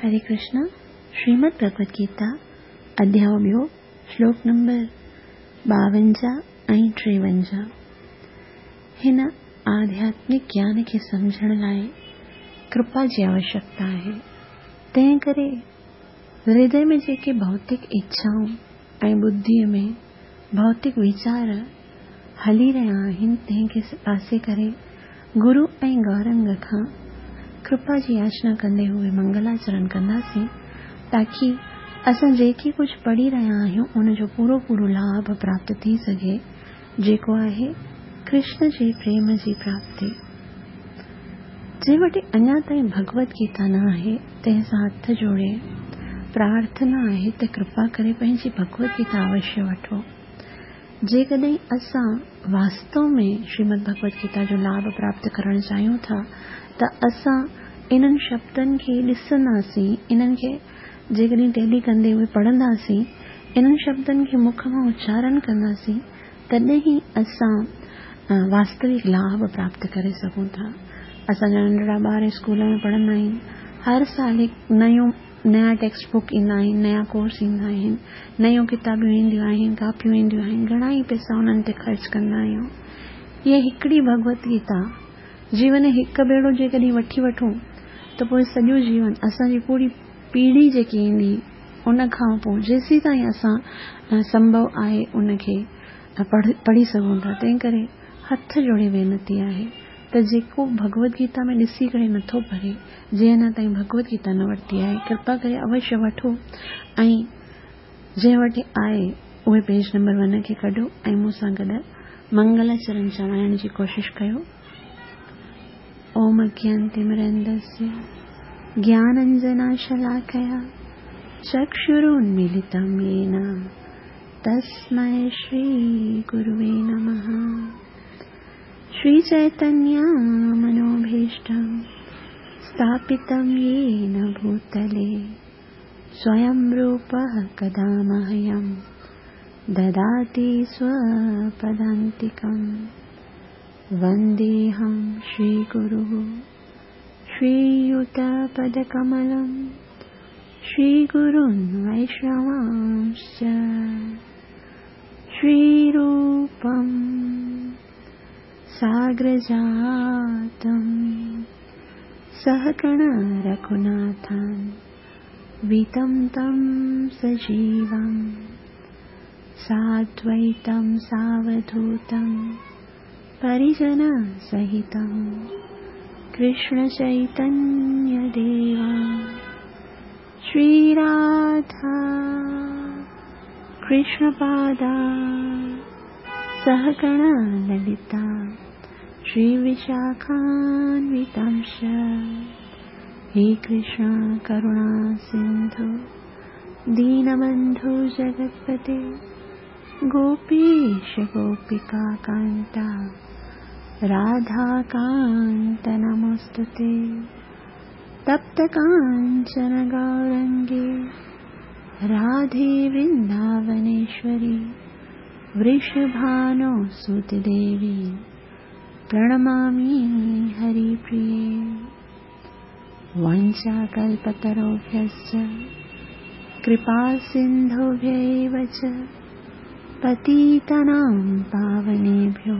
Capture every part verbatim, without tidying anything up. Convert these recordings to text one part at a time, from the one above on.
हरे कृष्ण। श्रीमद् भगवद गीता अध्याय ॿियो, श्लोक नंबर ॿावंजाह ऐं टेवंजाह। हिन आध्यात्मिक ज्ञान खे सम्झण लाइ कृपा जी आवश्यकता आहे। तंहिं करे हृदय में जेके भौतिक इच्छाऊं ऐं बुद्धीअ में भौतिक वीचार हली रहिया आहिनि, तंहिंखे पासे करे गुरू ऐं गौरंग खां कृपा जी याचना कंदे हुए मंगलाचरण कंदासीं, ताकी असां जेके कुझु पढ़ी रहिया आहियूं उनजो पूरो पूरो लाभ प्राप्त थी सघे, जेको आहे कृष्ण जे प्रेम जी प्राप्ति। जंहिं वटि अञा ताईं भगवद गीता न आहे, तंहिं सां हथ जोड़े प्रार्थना आहे त कृपा करे पंहिंजी भगवद गीता अवश्य वठो। जेकॾहिं असां वास्तव में श्रीमद् भगवद गीता जो लाभ प्राप्त करणु चाहियूं था, त असां इन्हनि शब्दनि खे ॾिसंदासीं, इन्हनि खे जेकॾहिं टैली कंदे हुए पढ़ंदासीं, इन्हनि शब्दनि खे मुख मां उच्चारण कंदासीं, तॾहिं ई असां वास्तविक लाभ प्राप्त करे सघूं था। असांजा नंढड़ा ॿार स्कूल में पढ़ंदा आहिनि, हर साल हिकु नयो नया टेक्स्ट बुक ईंदा आहिनि, नया कोर्स ईंदा आहिनि, नयूं किताबियूं ईंदियूं आहिनि, कापियूं ईंदियूं आहिनि, घणा ई पैसा उन्हनि ते ख़र्च कंदा आहियूं। इहा हिकिड़ी भगवत गीता जीवन हिकु भेरो जेकॾहिं वठी वठूं त पोइ सॼो जीवन असांजी पूरी पीढ़ी जेकी ईंदी उन खां पोइ जेसीं ताईं असां संभव आहे उनखे पढ़ी सघूं था। तंहिं करे हथ जोड़े वेनती आहे त जेको भगवद गीता में ॾिसी करे नथो पढ़े, जंहिं अञा ताईं भगवद गीता न वरिती आहे, कृपा करे अवश्य वठो ऐं जंहिं वटि आहे उहे पेज नंबर वन खे कढो ऐं मूंसां गॾु मंगलाचरण चवाइण जी कोशिशि कयो। ओम अज्ञानतिमिरन्दस्य ज्ञानाञ्जनशलाकया चक्षुरुन्मीलितं येन तस्मै श्रीगुरुवे नमः। श्रीचैतन्यमनोभीष्टं स्थापितं येन भूतले स्वयं रूपः कदा मह्यं ददाति स्वपदान्तिकं। वन्देऽहं श्रीगुरुः श्रीयुतपदकमलं श्रीगुरुन् वैष्णवांश्च। श्रीरूपं साग्रजातं सहगण रघुनाथं वितं तं सजीवं साद्वैतं सावधूतं परिजनसहितं कृष्णचैतन्यदेवं। श्रीराधा कृष्णपादा सहगण ललिता श्रीविशाखान्वितांश्च। हे कृष्ण करुणा सिन्धु दीनबन्धु जगत्पते गोपीश गोपिका कान्ता राधाकान्त नमोऽस्तुते। तप्त काञ्चन गौरङ्गे राधे वृन्दावनेश्वरी वृषभानुसुते देवी प्रणमामि हरिप्रिये। वाञ्छाकल्पतरुभ्यश्च कृपासिन्धुभ्य एव च पतितानां पावनेभ्यो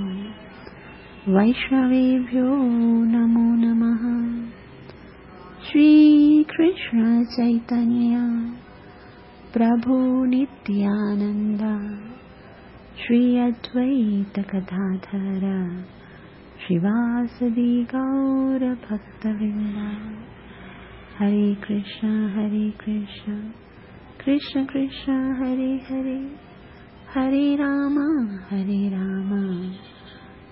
वैष्णवेभ्यो नमो नमः। श्रीकृष्ण चैतन्य प्रभु नित्यानन्द श्री अद्वैत गदाधर श्रीवासदि गौर भक्तवृंद। हरे कृष्ण हरे कृष्ण कृष्ण कृष्ण हरे हरे, हरे राम हरे राम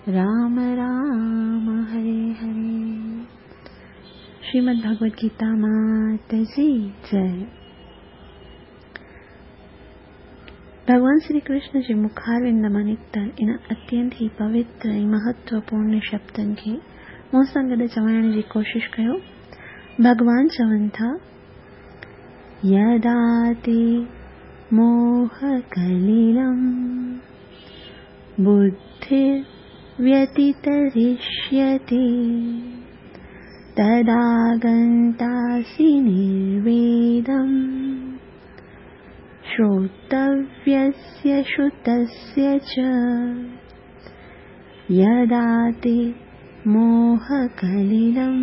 राम राम हरे हरे। श्रीमद् भगवद गीता मात जी जय। भॻवान श्री कृष्ण जे मुखारविंद मां निकितल इन अत्यंत ई पवित्र ऐं महत्वपूर्ण शब्दनि खे मूंसां गॾु चवाइण जी कोशिशि कयो। भॻवान चवनि था, यदा ते मोहकलिलं बुद्धिर्व्यतितरिष्यति तदा गन्तासि निर्वेदम् श्रोतव्यस्य श्रुतस्य च। यदा ते मोहकलिलं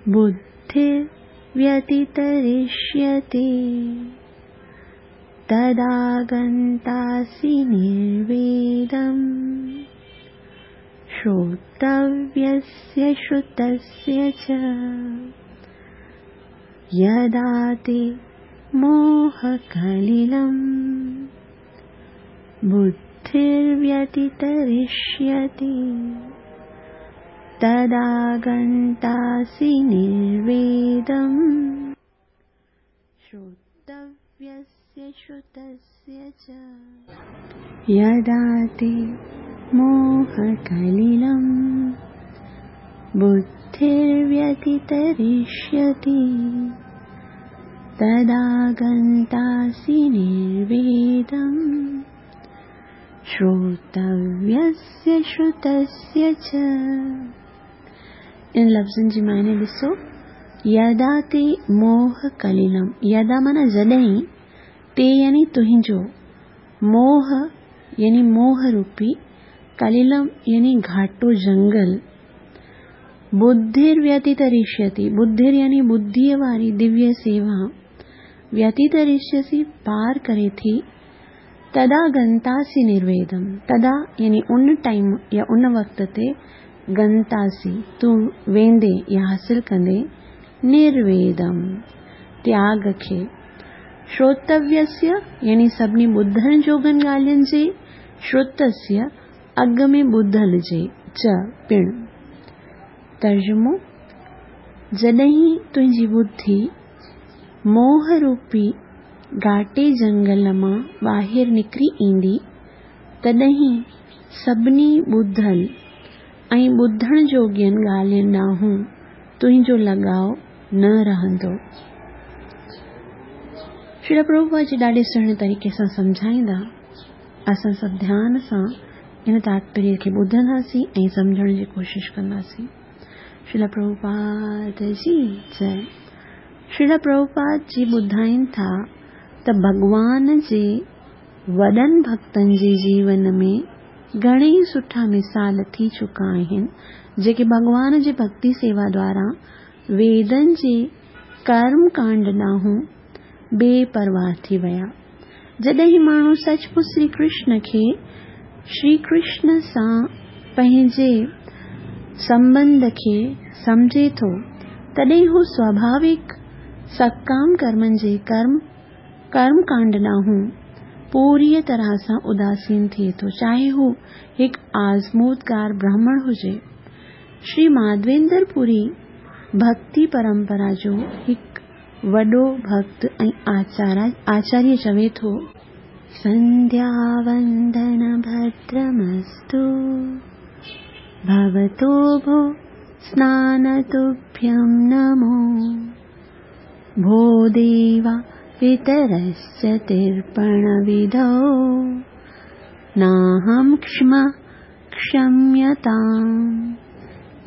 बुद्धिर्व्यतितरिष्यति तदा गन्तासि निर्वेदम् श्रोतव्यस्य श्रुतस्य च। यदा ते मोहकलिलं बुद्धिर्व्यतितरिष्यति तदा गन्तासि निर्वेदम् श्रोतव्यस्य श्रुतस्य च। यदा ते मोहकलिलं बुद्धिर्व्यतितरिष्यति तदा गन्तासि निर्वेदम् श्रोतव्यस्य श्रुतस्य च। इन लफ़्ज़नि जी मायने ॾिसो, यदा ते मोहकलिलं, यदा माना जॾहिं, ते यानी तुंहिंजो, मोह यानी मोह रूपी, कलिलम यानी घाटो जंगल, बुद्धिर्व्यतितरिष्यति, बुद्धिर यानी बुद्धिअ वारी दिव्य सेवा, व्यतितरिष्यसि पार करे थी, तदा गंतासि निर्वेदम, तदा यानी उन टाइम या उन वक़्त ते गंतासि तूं वेंदे या हासिल कंदे निर्वेदम त्याग खे। श्रोतव्यस्य यानी सभिनी ॿुधण जोगनि ॻाल्हियुनि जे, श्रुतस्य अॻु में ॿुधल जे, च पिणु। तर्जुमो, जॾहिं तुंहिंजी बुद्धि मोह रूपी घाटे जंगल मां ॿाहिरि निकिरी ईंदी, तॾहिं सभिनी ॿुधल ऐं ॿुधण जोगियनि ॻाल्हियुनि ॾांहुं तुंहिंजो लॻाव न रहंदो। श्रील प्रभुपाद जी ॾाढे सुहिणे तरीक़े सां सम्झाईंदा। असां सभु ध्यान सां इन तात्पर्य खे ॿुधंदासीं ऐं सम्झण जी कोशिशि कंदासीं। श्रील प्रभुपाद जी जय। श्रील प्रभुपाद जी ॿुधाइनि था त भॻवान जे वॾनि भक्तनि जे जीवन में घणेई सुठा मिसाल थी चुका आहिनि, जेके भॻवान जे भक्ति सेवा द्वारा वेदनि जे कर्म कांड ॾांहुं बेपरवाह थी विया। जॾहिं माण्हू सचमुच श्री कृष्ण खे श्री कृष्ण सां पंहिंजे संबंध खे सम्झे थो, तॾहिं हू स्वाभाविक सकाम कर्मनि जे कर्म कर्मकांड ॾांहुं पूरीअ तरह सां उदासीन थिए थो, चाहे हू हिकु आज़मूदगार ब्राह्मण हुजे। श्री माधवेंद्र पुरी भक्ति परंपरा जो हिकु वॾो भक्त ऐं आचार्य चवे थो, संध्या वंदन भद्रमस्तु भवतो भो स्नानतुभ्यं नमो भो देवा पितरश्च तर्पणविधौ नाहं क्ष्मा क्षम्यतां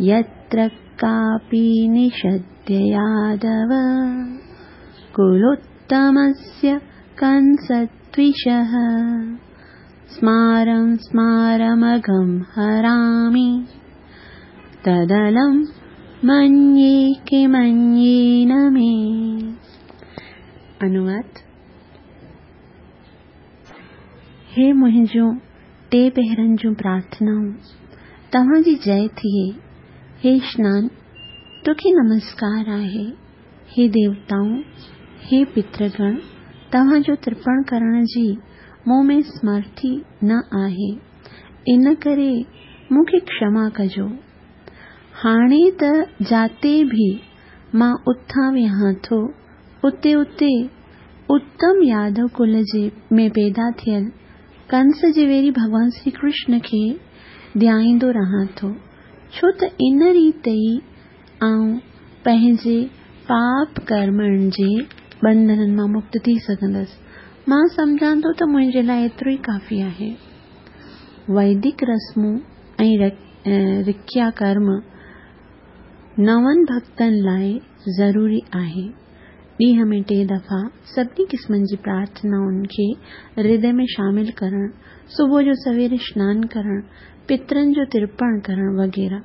यत्र कापि निषद्य यादव कुलोत्तमस्य कंसद्विषः स्मारं स्मारमघं हरामि तदलं मन्ये किमन्येन मे। अनुवाद। हे मुंहिंजूं टे पहरनि जूं प्रार्थनाऊं, तव्हांजी जय थिए। हे स्नान, तोखे नमस्कार आहे। हे देवताऊं, हे पितृगण, तव्हांजो तर्पण करण जी मूं में समर्थी न आहे, इन करे मूंखे क्षमा कजो। हाणे त जाते बि मां उथां विहां थो, उते उते उत्तम यादव कुल जे में पैदा थियल कंस जे वेरी भॻवान श्री कृष्ण खे ध्याईंदो रहां थो, छो त इन रीति ई आउं पंहिंजे पाप कर्मनि जे बंधननि मां मुक्त थी सघंदसि। मां सम्झां थो त मुंहिंजे लाइ एतिरो ई काफ़ी आहे। वैदिक रस्मूं ऐं रिक्या कर्म नवनि भक्तनि लाइ ज़रूरी आहे। ڏينهن ۾ ٽي دفعا سڀني قسمن جي پرارٿنائن کي هردي ۾ شامل ڪرڻ، صبح جو سوير سنان ڪرڻ، پترن جو ترپڻ ڪرڻ وغيره.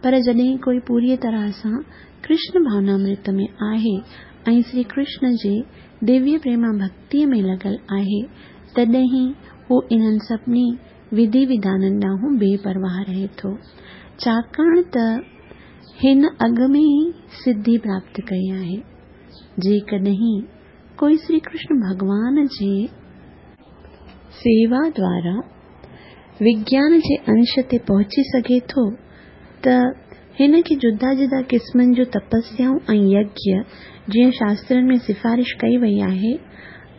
پر جڏهن ڪوئي پوريء طرح سان ڪرشن ڀاونامرت ۾ آهي ۽ شري ڪرشن جي دويه پريما ڀڳتيء ۾ لڳل آهي، تڏهن هو انهن سڀني وڌي وڌانن ڏانهن بي پرواهه رهي ٿو، ڇاڪاڻ ته هن اڳ ۾ ئي سڌي پراپت ڪئي آهي. جيڪڏهن ڪوئي شري ڪرشن ڀڳوان جي سيوا دوارا وگيان جي انش تي پهچي سگهي ٿو ته هن کي جدا جدا قسمن جون تپسيائون ۽ يگيه، جيئن شاسترن ۾ سفارش ڪئي وئي آهي،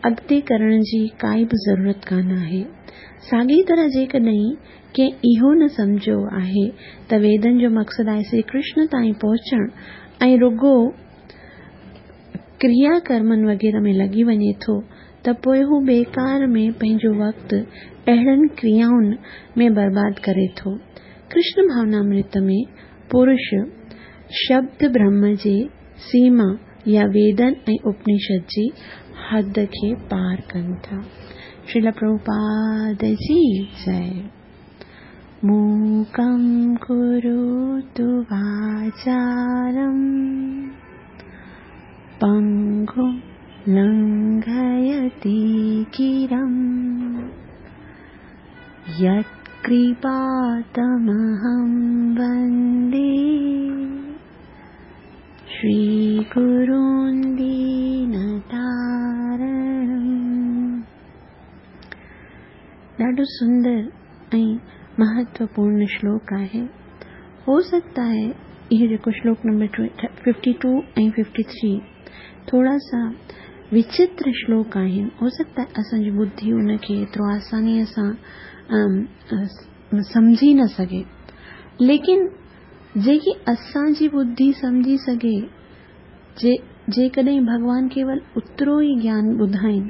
اڳتي ڪرڻ جي ڪائي به ضرورت ڪانه آهي. ساڳي طرح جيڪڏهن ڪنهن اهو نه سمجهيو آهي ته ويدن جو مقصد آهي شري ڪرشن تائين پهچڻ ۽ رڳو ڪريا ڪرمن وغيره ۾ لڳي وڃي ٿو ته پوءِ هو بيڪار ۾ پنهنجو وقت اهڙن ڪريائن ۾ برباد ڪري ٿو. ڪرشن ڀاونامرت ۾ پرش شبد برهم جي سيما يا ويدن ۽ اپنشد جي حد کي پار ڪن ٿا. شريل پرڀوپاد جي جئي. मूकं करोतु वाचालं पङ्गुं लङ्घयते गिरिं यत्कृपातमहं वन्दे श्रीगुरुं दीनतारणम्। ॾाढो सुंदर ऐं महत्वपूर्ण श्लोक आहे। हो सकता है इहो जेको श्लोक नंबर फिफ्टी टू ऐं फिफ्टी थ्री थोड़ा सा विचित्र श्लोक आहिनि। हो सकता है असांजी बुद्धि उनखे एतिरो आसानीअ सां सम्झी न सघे, लेकिन जेकी असांजी बुद्धि सम्झी सघे, जे जेकॾहिं भॻवान केवल ओतिरो ई ज्ञान ॿुधाइनि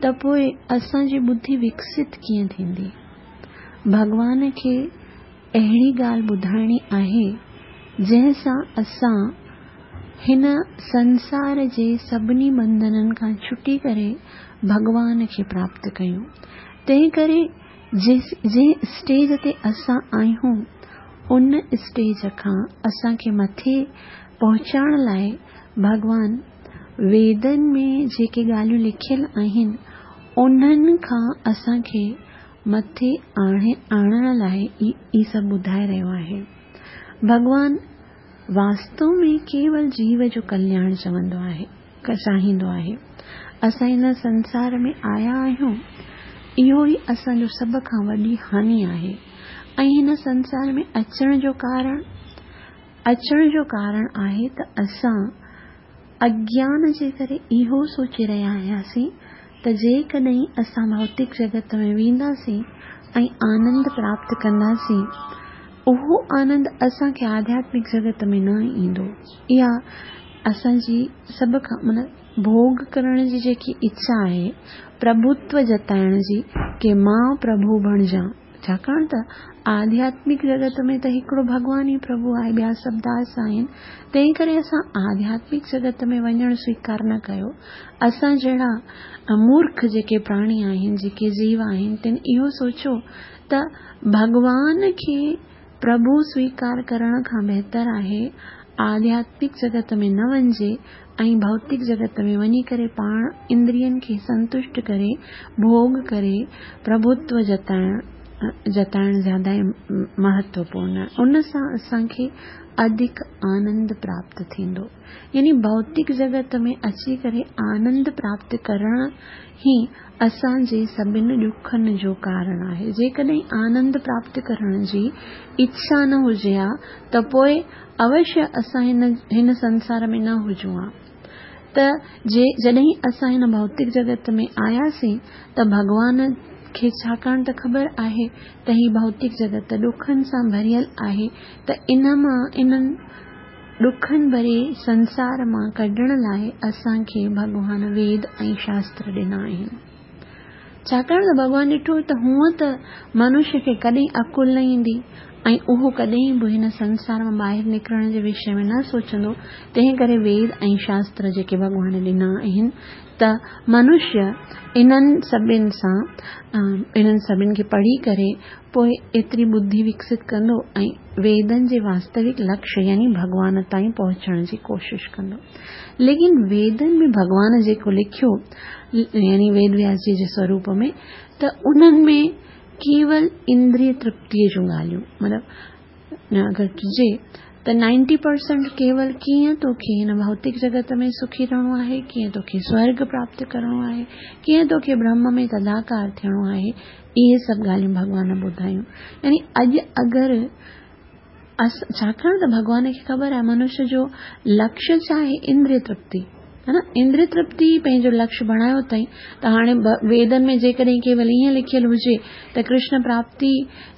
त पोइ असांजी बुद्धि विकसित कीअं थींदी? भॻवान खे अहिड़ी ॻाल्हि ॿुधाइणी आहे जंहिं सां असां हिन संसार जे सभिनी बंधननि खां छुटी करे भॻवान खे प्राप्त कयूं। तंहिं करे जंहिं स्टेज ते असां आहियूं उन स्टेज खां असांखे मथे पहुचाइण लाइ भॻवान वेदनि में जेके ॻाल्हियूं लिखियल आहिनि उन्हनि खां असांखे मथे आणे आणण लाइ ई सभु ॿुधाए रहियो आहे। भॻवान वास्तव में केवल जीव जो कल्याण चवंदो आहे, चाहींदो आहे। असां हिन संसार में आया आहियूं, इहो ई असांजो सभ खां वॾी हानि आहे। ऐं हिन संसार में अचण जो कारण अचण जो कारण आहे त असां अज्ञान जे करे इहो सोचे रहिया हुआसीं त जेकॾहिं असां भौतिक जगत में वेंदासीं ऐं आनंद प्राप्त कंदासीं, उहो आनंद असांखे आध्यात्मिक जगत में न ईंदो। इहा असांजी सभ खां माना भोग करण जी जेकी इच्छा आहे, प्रभुत्व जताइण जी की मां प्रभु बणिजां, छाकाणि त आध्यात्मिक जगत में त हिकिड़ो भॻवान ई प्रभु आहे, ॿिया सभु दास आहिनि। तंहिं करे असां आध्यात्मिक जगत में वञणु स्वीकार न कयो। असां जहिड़ा मूर्ख जेके प्राणी आहिनि, जेके जीव आहिनि, तिन इहो सोचियो त भॻवान खे प्रभु स्वीकार करण खां बहितर आहे आध्यात्मिक जगत में न वञिजे ऐं भौतिक जगत में वञी करे पाण इंद्रियनि खे संतुष्ट करे भोग करे प्रभुत्व जताइण जताइण ज़्यादा महत्वपूर्ण आहे। उन सां असांखे अधिक आनंद प्राप्त थींदो। यानी भौतिक जगत में अची करे आनंद प्राप्त करण ई असांजे सभिनी ॾुखनि जो कारण आहे। जेकॾहिं आनंद प्राप्त करण जी इच्छा न हुजे हा त पोइ अवश्य असां हिन हिन संसार में न हुजूं हा। त जे जॾहिं असां हिन भौतिक जगत में आयासीं त भॻवान खे छाकाणि त ख़बर आहे त ही भौतिक जगत ॾुखनि सां भरियल आहे, त इन मां इन्हनि ॾुखनि भरे संसार मां कढण लाइ असांखे भॻवान वेद ऐं शास्त्र ॾिना आहिनि। छाकाणि त भॻवान ॾिठो त हूअं त मनुष्य खे कॾहिं अकुल न ईंदी ऐं उहो कॾहिं बि हिन संसार मां ॿाहिरि निकिरण जे विषय में न सोचंदो। तंहिं करे वेद ऐं शास्त्र जेके भॻवान ॾिना आहिनि त मनुष्य इन्हनि सभिनि सां इन्हनि सभिनि खे पढ़ी करे पोइ एतिरी बुद्धि विकसित कंदो ऐं वेदनि जे वास्तविक लक्ष्य यानी भॻवान ताईं पहुचण जी कोशिश कंदो। लेकिन वेदनि में भॻवान जेको लिखियो यानी वेद व्यास जी जे स्वरूप में त उन्हनि में केवल इंद्रिय तृप्तीअ जूं ॻाल्हियूं, मतिलबु अगरि चइजे त नाइंटी परसेंट केवल कीअं तोखे हिन भौतिक जगत में सुखी रहणो आहे, कीअं तोखे स्वर्ग प्राप्त करिणो आहे, कीअं तोखे ब्रह्म में तदाकार थियणो आहे, इहे सभु ॻाल्हियूं भॻवान ॿुधायूं। यानी अॼु अगरि छाकाणि त भॻवान खे ख़बर आहे मनुष्य जो लक्ष्य छा आहे, इंद्रिय तृप्ति, है न। इंद्रिय तृप्ति पंहिंजो लक्ष्य बणायो अथई त हाणे वेदनि में जेकॾहिं केवल ईअं लिखियलु हुजे त कृष्ण प्राप्ति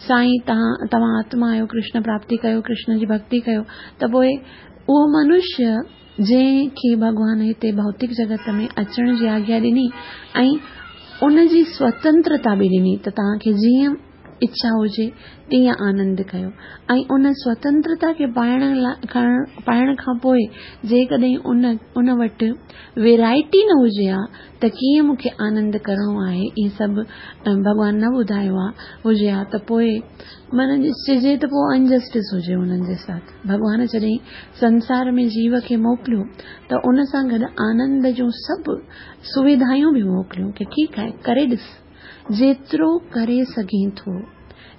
सां ई तव्हां तव्हां आत्मा आहियो, कृष्ण प्राप्ति कयो, कृष्ण जी भक्ति कयो, त पोइ उहो मनुष्य जंहिंखे भॻवान हिते भौतिक जगत में अचण जी आज्ञा ॾिनी ऐं उनजी स्वतंत्रता बि ॾिनी त तव्हांखे जीअं इच्छा हुजे तीअं आनंद कयो, ऐं उन स्वतंत्रता खे पाइण पाइण खां पोइ जेकॾहिं उन उन वटि वेराइटी न हुजे हा त कीअं मूंखे आनंद करिणो आहे, इहे सभु भॻवान न ॿुधायो आहे हुजे हा त पोइ माना चइजे त पोइ अनजस्टिस हुजे उन्हनि जे साथ। भॻवान जॾहिं संसार में जीव खे मोकिलियो त उन सां गॾु आनंद जूं सभु सुविधायूं बि मोकिलियूं की ठीकु आहे करे ॾिस, जेतिरो करे सघें थो,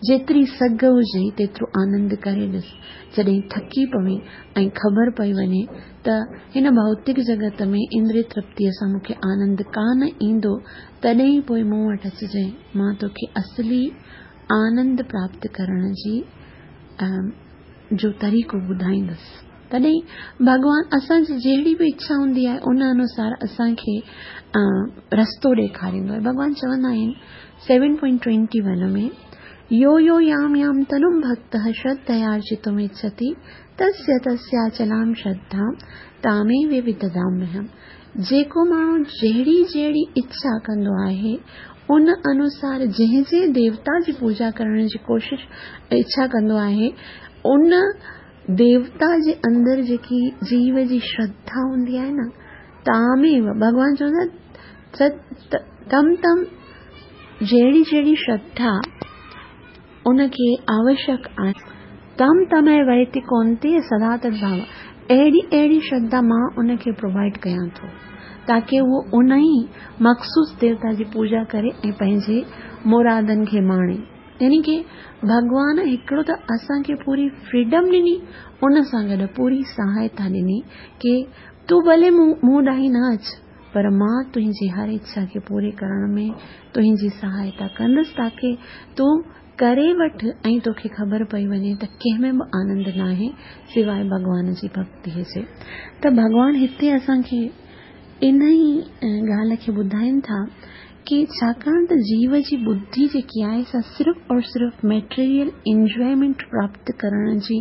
जेतिरी सघ हुजे तेतिरो आनंद करे ॾिस। जॾहिं थकी पवे ऐं ख़बर पई वञे त हिन भौतिक जगत में इंद्रिय तृप्तीअ सां मूंखे आनंद कान ईंदो, तॾहिं पोइ मूं वटि अचिजांइ, मां तोखे असली आनंद प्राप्त करण जी जो तरीक़ो ॿुधाईंदुसि। तॾहिं भॻवान असांजी जहिड़ी बि इच्छा हूंदी आहे उन अनुसार असांखे रस्तो ॾेखारींदो आहे। भॻवान चवंदा आहिनि सेवन पॉइंट ट्वेंटी वन में, यो यो याम याम तनुं भक्तः श्रद्धयार्जितुमिच्छति तस्य तस्याचलां श्रद्धां तामेव विददाम्यहम्। जेको माण्हू जहिड़ी जहिड़ी इच्छा कंदो आहे उन अनुसार जंहिं जंहिं देवता जी पूजा करण जी कोशिश इच्छा कंदो आहे उन देवता जे अंदरि जेकी जीव जी श्रद्धा हूंदी आहे न, तामेव भॻवान चवंदा तम तम जहिड़ी जहिड़ी श्रद्धा उनखे आवश्यक आहे, तम तमय वैति कौन्तेय सदा तद्भाव, अहिड़ी अहिड़ी श्रद्धा मां उनखे प्रोवाइड कयां थो ताकि उहो उन ई मख़सूस देवता जी पूजा करे ऐं पंहिंजे मुरादनि खे माणे। यानी की भॻवान हिकिड़ो त असांखे पूरी फ्रीडम ॾिनी, उन सां गॾु पूरी सहायता ॾिनी की तूं भले मूं ॾांहुं न अच, पर मां तुंहिंजी हर इच्छा खे पूरे करण में तुंहिंजी सहायता कंदुसि ताकि तूं करे वठि ऐं तोखे ख़बर पई वञे त कंहिं में बि आनंद नाहे सिवाय भॻवान जी भक्तीअ जे। त भॻवान हिते असांखे इन ई ॻाल्हि खे ॿुधाइनि था की छाकाणि त जीव जी बुद्धि जेकी आहे सा सिर्फ़ और सिर्फ़ मेटीरियल इंजॉयमेंट प्राप्त करण जी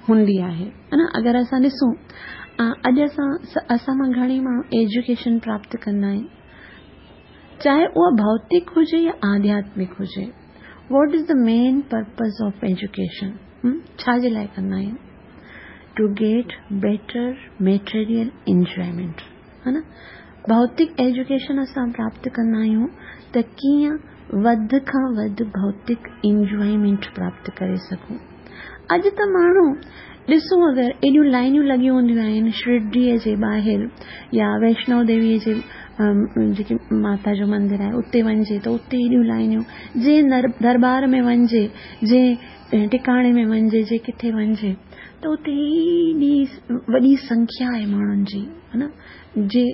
हूंदी आहे, है न। अगरि असां ॾिसूं अॼु असां असां मां घणेई माण्हू एजुकेशन प्राप्त कंदा आहिनि, चाहे उहा भौतिक हुजे या आध्यात्मिक हुजे। What is the main purpose of education? छा जे लाइ कंदा आहिनि? To get better material enjoyment, है न। भौतिक एजुकेशन असां प्राप्त कंदा आहियूं त कीअं वधि खां वधि भौतिक इंजॉयमेंट प्राप्त करे सघूं। अॼु त माण्हू ॾिसूं अगरि एॾियूं लाइनियूं लॻियूं हूंदियूं आहिनि शिरडीअ जे ॿाहिरि या वैष्णो देवीअ जे जेकी माता जो मंदिर आहे उते वञिजे त उते एॾियूं लाइनियूं, जंहिं दरबार में वञिजे, जंहिं टिकाणे में वञिजे, जे किथे वञिजे त उते एॾी वॾी संख्या आहे माण्हुनि जी, है न। जे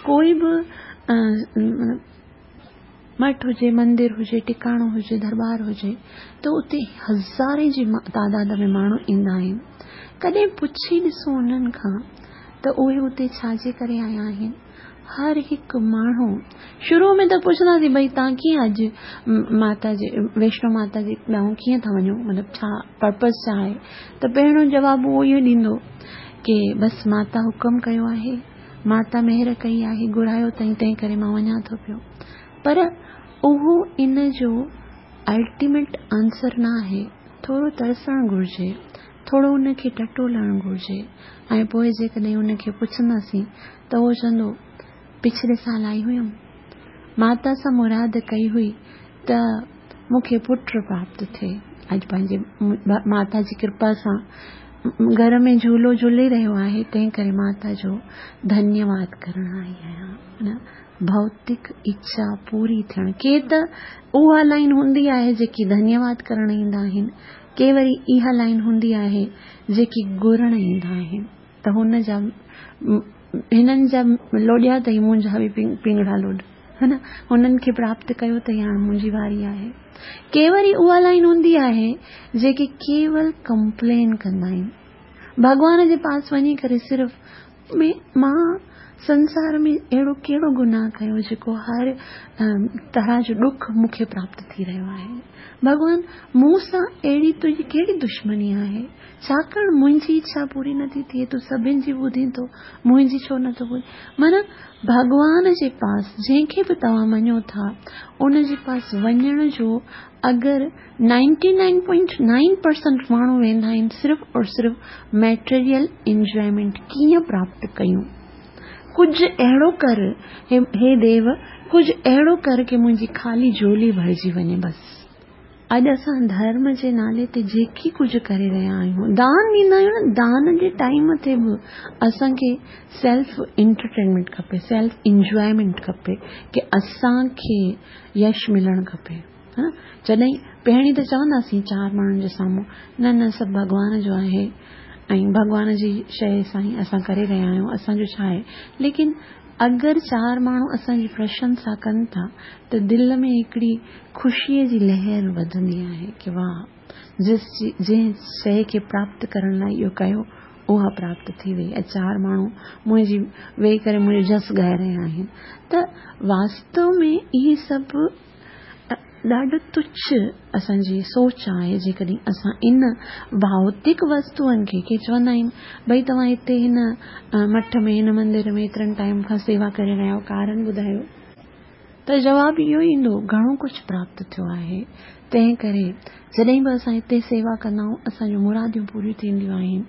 कोई बि मठ हुजे, मंदिर हुजे, टिकाणो हुजे, दरबार हुजे त उते हज़ारे जी तादाद में माण्हू ईंदा आहिनि। कॾहिं पुछी ॾिसो उन्हनि खां त उहे उते छाजे करे आया आहिनि। हर हिकु माण्हू शुरू में त पुछंदासीं भई तव्हां कीअं अॼु माता जे वैष्णो माता जे ॾांहुं कीअं था वञो, मतिलबु छा पर्पज़ छा आहे? त पहिरियों जवाबु उहो इहो ॾींदो की बसि माता हुकुम कयो आहे, माता मेहर कई आहे, घुरायो अथई तंहिं करे मां वञा थो पियो। पर उहो इन जो अल्टीमेट आंसर न आहे। ٿورو ترسڻ گهرجي، ٿورو ان کي ٽٽولڻ گهرجي ۽ پوءِ جيڪڏهن ان کي پڇنداسين ته اهو چوندو پڇلي سال آئي هيم، ماتا سان مراد ڪئي هئي ته مون کي پٽ پراپت ٿئي. اڄ پنهنجي ماتا جي ڪرپا سان گهر ۾ جهولو جهولي رهيو آهي، تنهن ڪري ماتا جو ڌنيواد ڪرڻ آئي آهيان. نه ڀوتڪ اڇا پوري ٿيڻ، ڪي ته اها لائن هوندي آهي جيڪي ڌنيواد ڪرڻ ايندا آهن، ڪي وري اها لائن هوندي آهي جيڪي گهرڻ ايندا آهن. ته هن جا هنن جا لوڏيا اٿئي، منهنجا به پنگڙا لوڏ، ها نه، هنن کي پراپت ڪيو اٿئي، هاڻي منهنجي واري آهي. ڪي وري اها لائن هوندي آهي جيڪي ڪيول ڪمپلين ڪندا آهن، ڀڳوان جي پاس وڃي ڪري صرف مان سنسار ۾ اهڙو ڪهڙو گناهه ڪيو جيڪو هر طرح جو ڏک مون کي پراپت ٿي رهيو آهي. ڀڳوان مون سان اهڙي تنهنجي ڪهڙي دشمني آهي؟ ڇاڪاڻ منهنجي اڇا پوري نٿي ٿئي، تون سڀني جي ٻڌين ٿو، منهنجي ڇو نٿو ٻڌين؟ معنيٰ ڀڳوان جي پاس جنهن کي به توهان مڃو ٿا ان جي پاس وڃڻ جو اگر ninety nine point nine percent ماڻهو ويندا آهن صرف اور صرف ميٽيريل انجوائمينٽ ڪيئن پراپت ڪيون، ڪجهه اهڙو ڪر هي ديو، ڪجهه اهڙو ڪر ڪه منهنجي خالي جهولي ڀرجي وڃي. بس اڄ اسان ڌرم جي نالي تي جيڪي ڪجهه ڪري رهيا آهيون، دان ڏيندا آهيون نه، دان جي ٽائيم تي به اسان کي سيلف انٽرٽينمينٽ کپي، سيلف انجوائمينٽ کپي ڪه اسان کي يش ملڻ کپي. ها، جڏهن پهرين ته چونداسين چار ماڻهن جي سامهون نه نه سڀ ڀڳوان جو آهي ۽ ڀڳوان جي شيءِ سان ئي اسان ڪري رهيا آهيون، اسان جو ڇا آهي. ليڪن اگر چار ماڻهو اسان جي پرشنسا ڪن ٿا ته دل ۾ هڪڙي خوشيءَ جي لهر وڌندي آهي ڪه واهه، جس جنهن شيءِ کي پراپت ڪرڻ لاءِ اهو ڪيو اها پراپت ٿي وئي ۽ چار ماڻهو منهنجي ويهي ڪري منهنجو جس ڳائي رهيا آهن. ته واستو ۾ اهي سڀ ڏاڍو تڇ اسان جي سوچ آهي. جيڪڏهن اسان ان ڀوتڪ وستوئن کي، ڪي چوندا آهن ڀئي توهان هتي هن مٺ ۾ هن مندر ۾ ايترن ٽائيم کان سيوا ڪري رهيا آهيو، ڪارڻ ٻڌايو، ته جواب اهو ايندو گهڻو ڪجهه پراپت ٿيو آهي. تنهن ڪري جڏهن به اسان هتي سيوا ڪندا آهيون اسان جون مراديون پوريون ٿينديون آهن،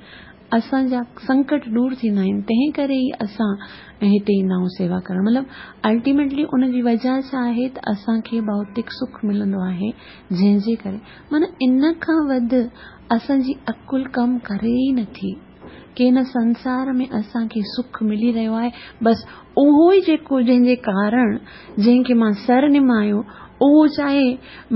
اسان جا سنڪٽ دور ٿيندا آهن، تنهن ڪري ئي اسان هتي ايندا آهيون سيوا ڪرڻ. مطلب الٽيميٽلي ان جي وجهه ڇا آهي ته اسان کي ڀوتڪ سک ملندو آهي، جنهن جي ڪري معنيٰ ان کان وڌ اسان جي عقل ڪم ڪري ئي نٿي ڪه هن سنسار ۾ اسان کي سک ملي رهيو آهي، بس اهو ئي جيڪو جنهن جي ڪارڻ جنهن کي مان سر نمايو، اهو چاهي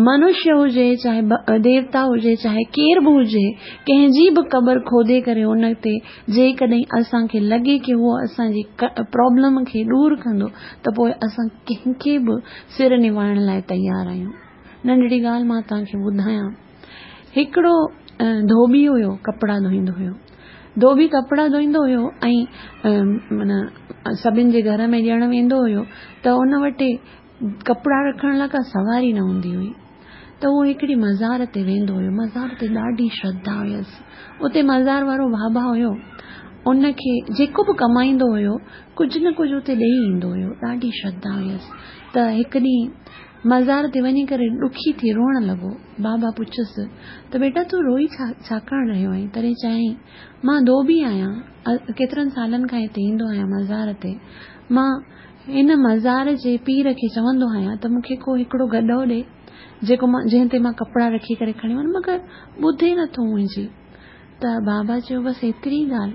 منشيه هجي، چاهي ديوتا هجي، چاهي ڪير به هجي، ڪنهن جي به قبر کودي ڪري ان تي جيڪڏهن اسان کي لڳي ڪه اهو اسان جي پرابلم کي دور ڪندو ته پوءِ اسان ڪنهن کي به سر نوائڻ لاءِ تيار آهيون. ننڍڙي ڳالهه مان توهان کي ٻڌايان. هڪڙو ڌوٻي هيو، ڪپڙا ڌوئيندو هيو. ڌوٻي ڪپڙا ڌوئيندو هيو ۽ معنيٰ سڀني جي گهر ۾ ڏيڻ ويندو هيو ته ان وٽ ڪپڙا رکڻ لاءِ ڪا سواري نه هوندي هئي. ته اهو هڪڙي مزار تي ويندو هيو. مزار تي ڏاڍي شرڌا هيس. اتي مزار وارو بابا هيو، ان کي جيڪو به ڪمائيندو هيو ڪجهه نه ڪجهه اتي ڏيئي ايندو هيو. ڏاڍي شرڌا هيس. ته هڪ ڏينهن مزار تي وڃي ڪري ڏکي ٿي روئڻ لڳو. بابا پڇيس ته بيٽا تون روئي ڇا ڇاڪاڻ رهيو آهين؟ تڏهن چيائين مان ڌوٻي آهيان، ڪيترن سالن کان هتي ايندو آهيان مزار تي. مان هن مزار جي پير کي چوندو آهيان ته مون کي ڪو هڪڙو گڏو ڏي جيڪو مان جنهن تي مان ڪپڙا رکي ڪري کڻي وڃان، مگر ٻڌي نٿو منهنجي. ته بابا چيو بس ايتري ڳالهه،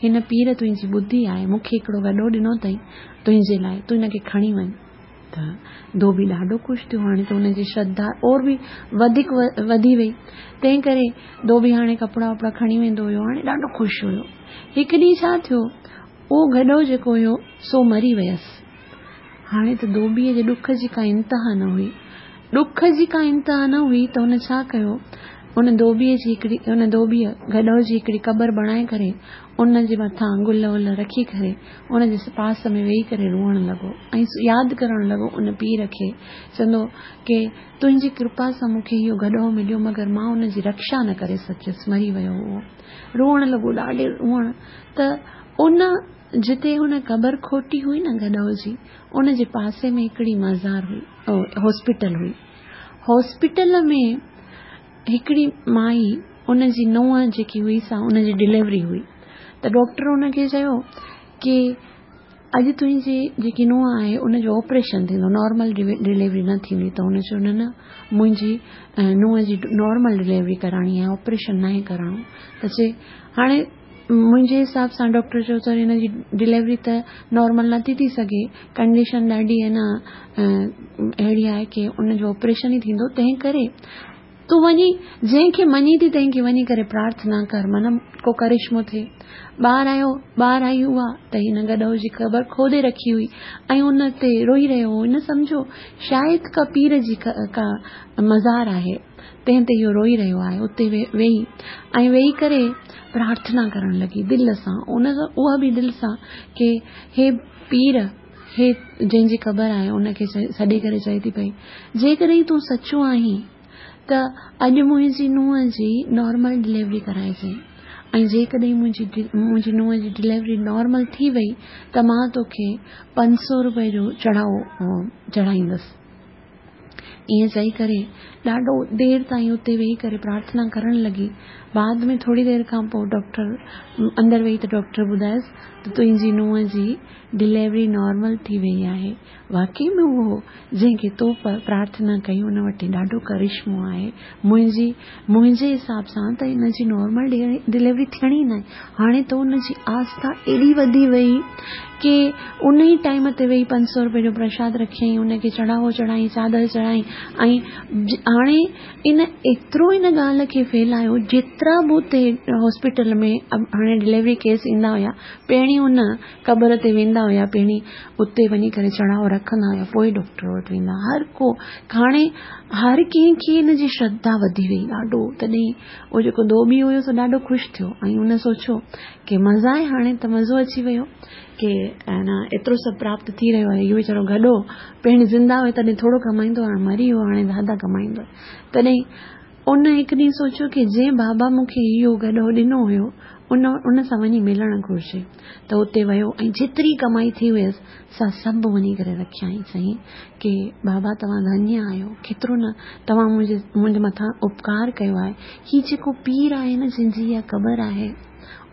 هن پير تنهنجي ٻڌي آهي، مون کي هڪڙو گڏو ڏنو اٿئي تنهنجي لاءِ، تون هن کي کڻي وڃ. ته ڌوٻي ڏاڍو خوش ٿيو. هاڻي ته هن جي شرڌا اور به وڌيڪ وڌي وئي. تنهن ڪري ڌوٻي هاڻي ڪپڙا وپڙا کڻي ويندو هيو، هاڻي ڏاڍو خوش هيو. هڪ ڏينهن ڇا ٿيو، اهو گڏو جيڪو هيو سو مري ويس. هاڻي ته ڌوٻيءَ جي ڏک جي ڪا انتها نه هئي. ڏک جي ڪا انتها نه هئي ته هن ڇا ڪيو، ان ڌوٻيءَ جي هڪڙي ان ڌوٻيءَ گڏو جي هڪڙي قبر بڻائي ڪري ان جي مٿان گل ول رکي ڪري ان جي پاس ۾ ويهي ڪري روئڻ لڳو ۽ ياد ڪرڻ لڳو ان پير کي. چوندو ڪه تنهنجي ڪرپا سان مون کي اهو گڏو مليو، مگر مان ان جي رڪشا نه ڪري سگهيس، مري ويو اهو. روئڻ لڳو ڏاڍي روئڻ. ته ان جتي هن قبر کوٽي هئي نه گڏو جي، ان جي پاسي ۾ هڪڙي مزار هئي، هاسپيٽل هئي. هاسپيٽل ۾ هڪڙي مائي ان جي ننهن جيڪي هئي سا ان جي ڊليوري هئي ته ڊاڪٽر ان کي چيو ڪي اڄ تنهنجي جيڪي ننهن آهي ان جو آپريشن ٿيندو، نارمل ڊليوري نه ٿيندي. ته هن چيو نه نه منهنجي ننهن جي نارمل ڊليوري ڪرائڻي آهي، آپريشن ناهي ڪرائڻو. ته چي هاڻي منهنجي حساب سان ڊاڪٽر چيو ته هن جي ڊليوري ته نارمل نٿي ٿي سگهي، ڪنڊيشن ڏاڍي آهي نه اهڙي آهي ڪي ان جو آپريشن ئي ٿيندو، تنهن ڪري تون وڃي جنهن کي مڃين ٿي تنهن کي وڃي ڪري پرارٿنا ڪر، من ڪو ڪرشمو ٿئي. ٻار آيو، ٻار آئي اها ته هن گڏهو جي قبر کودي رکي هئي ۽ ان تي روئي رهيو هو. هن سمجهيو شايد ڪا پير جي ڪا مزار آهي، تنهن تي اهو روئي رهيو آهي. اتي ويهي ۽ ويهي ڪري پرارٿنا ڪرڻ لڳي دل سان، ان اها به دل سان ڪي هي پير، هي جنهن جي قبر آهي، ان کي سڏي ڪري چئي ٿي پئي جيڪڏهن تون سچو آهين ته اڄ منهنجي ننهن جي نارمل ڊليوري ڪرائجي، ۽ جيڪڏهن منهنجي منهنجي ننهن جي ڊليوري نارمل ٿي وئي ته مان توکي پنج سؤ روپئي جو چڙهاوو چڙهائيندس. ائين چئي ڪري ڏاڍو دير تائين اتي ويهي ڪري پرارٿنا ڪرڻ لڳي. بعد ۾ ٿوري دير کان پوءِ ڊاڪٽر اندر وئي ته ڊاڪٽر ٻڌايس ته تنهنجي ننهن جي ڊليوري نارمل ٿي وئي آهي. واقعي ۾ اهو جنهن کي تو پرارٿنا ڪئي ان وٽ ڏاڍو ڪرشمو آهي. منهنجي منهنجي حساب سان ته هن جي نارمل ڊليوري ٿيڻي نه آهي. هاڻي ته ان جي آسٿا ايڏي وڌي وئي ڪي ان ئي ٽائيم تي ويهي پنج سؤ روپئي جو پرشاد رکيائين، ان کي چڙهاوو چڙهائين، چادر چڙهائين. ۽ هاڻي ان ايترو ان ڳالهه کي ڦهلايو، جيترا به اتي هاسپيٽل ۾ هاڻي ڊليوري ڪيس ايندا هئا، پهرين ان قبر تي ويندا هئا، پهرين اتي وڃي ڪري چڙهاوو رکندا هئا، پوءِ ڊاڪٽر وٽ ويندا. هر ڪو هاڻي هر ڪنهن کي هن جي شرڌا وڌي وئي ڏاڍو. تڏهن اهو جيڪو ڌوٻي هيو سو ڏاڍو خوش ٿيو ۽ هن سوچيو ڪي مزا آهي، هاڻي ته مزو اچي ويو ڪي نه ايترو سڀ پراپت ٿي رهيو آهي. اهو ويچارو گڏو پهرين زنده هيو تڏهن ٿورو ڪمائيندو، هاڻي مري ويو، هاڻي زياده ڪمائيندو. تڏهن ان هڪ ڏينهن سوچيو ڪي جنهن بابا مون کي اهو گڏو ڏنو هيو ان ان سان وڃي ملڻ گهرجي. ته اتي ويو ۽ جيتري ڪمائي ٿي هيس سا سڀ وڃي ڪري رکيائين. چيائين ڪي بابا توهان ڌنيه آهيو، ڪيترو نه توهان منهنجي منهنجي مٿان اپڪار ڪيو آهي. هي جيڪو پير آهي نه جنهن جي اها قبر آهي،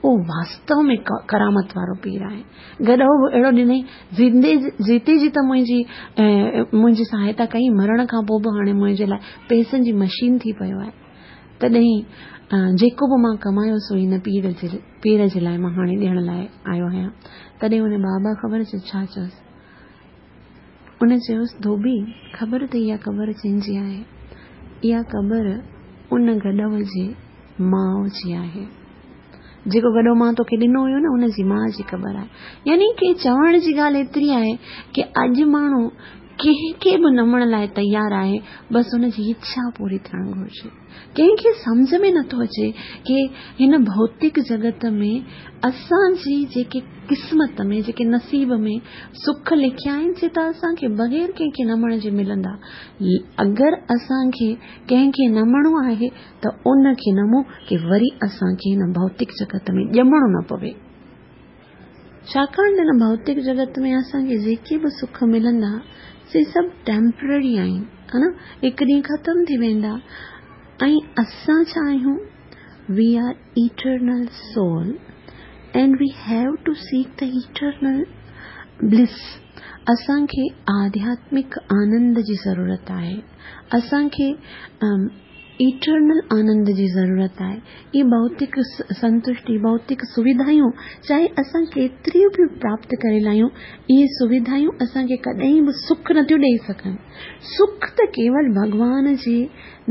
اهو واستو ۾ ڪرامت وارو پير آهي. گڏو به اهڙو ڏنئي، زندي جيتي جي ته منهنجي منهنجي سهائتا ڪئي، مرڻ کان پوءِ به هاڻي منهنجي لاءِ پئسن جي مشين ٿي پيو آهي. تڏهن جيڪو به مان ڪمايو سو هن پير جي پير جي لاءِ مان هاڻي ڏيڻ لاءِ آيو آهيان. تڏهن هن بابا خبر چيو ڇا چيوس؟ ان چيوس ڌوٻي خبر اٿئي اها قبر ڪنهن جي آهي؟ اها قبر ان گڏو جي ماءُ جي آهي. جيڪو گڏو مان توکي ڏنو هيو نه ان جي ماءُ جي قبر آهي. يعني ڪه چوڻ جي ڳالهه ايتري آهي ڪه اڄ ماڻهو ڪنهن کي به نمڻ لاءِ تيار آهي، بس هن جي اڇا پوري ٿيڻ گهرجي. ڪنهن کي سمجهه ۾ نٿو اچي ڪه هن ڀوتڪ جڳت ۾ اسان جي جيڪي قسمت ۾ جيڪي نصيب ۾ سک لکيا آهن سي ته اسان کي بغير ڪنهن کي نمڻ جي ملندا. اگر اسان کي ڪنهن کي نمڻو آهي ته ان کي نمون ڪه وري اسان کي هن ڀوتڪ جڳت ۾ ڄمڻو نه پوي. ڇاڪاڻ ته هن ڀوتڪ جڳت ۾ اسان کي جيڪي به سک ملندا سي سڀ ٽيمپرري آهن، ها نه، هڪ ڏينهن ختم ٿي ويندا. ۽ اسان ڇا آهيون؟ We are eternal soul and we have to seek the eternal bliss. اسان کي آڌياتمڪ آنند جي ضرورت آهي، اسان کي ايٽرنل آنند جي ضرورت آهي. اهي ڀوتڪ سنتشٽي، ڀوتڪ سوڌايون چاهي اسان ڪيتريون به پراپت ڪري لاهيون، اهي سوڌايون اسان کي ڪڏهن به سک نٿيون ڏيئي سگهن. سک ته ڪيول ڀڳوان جي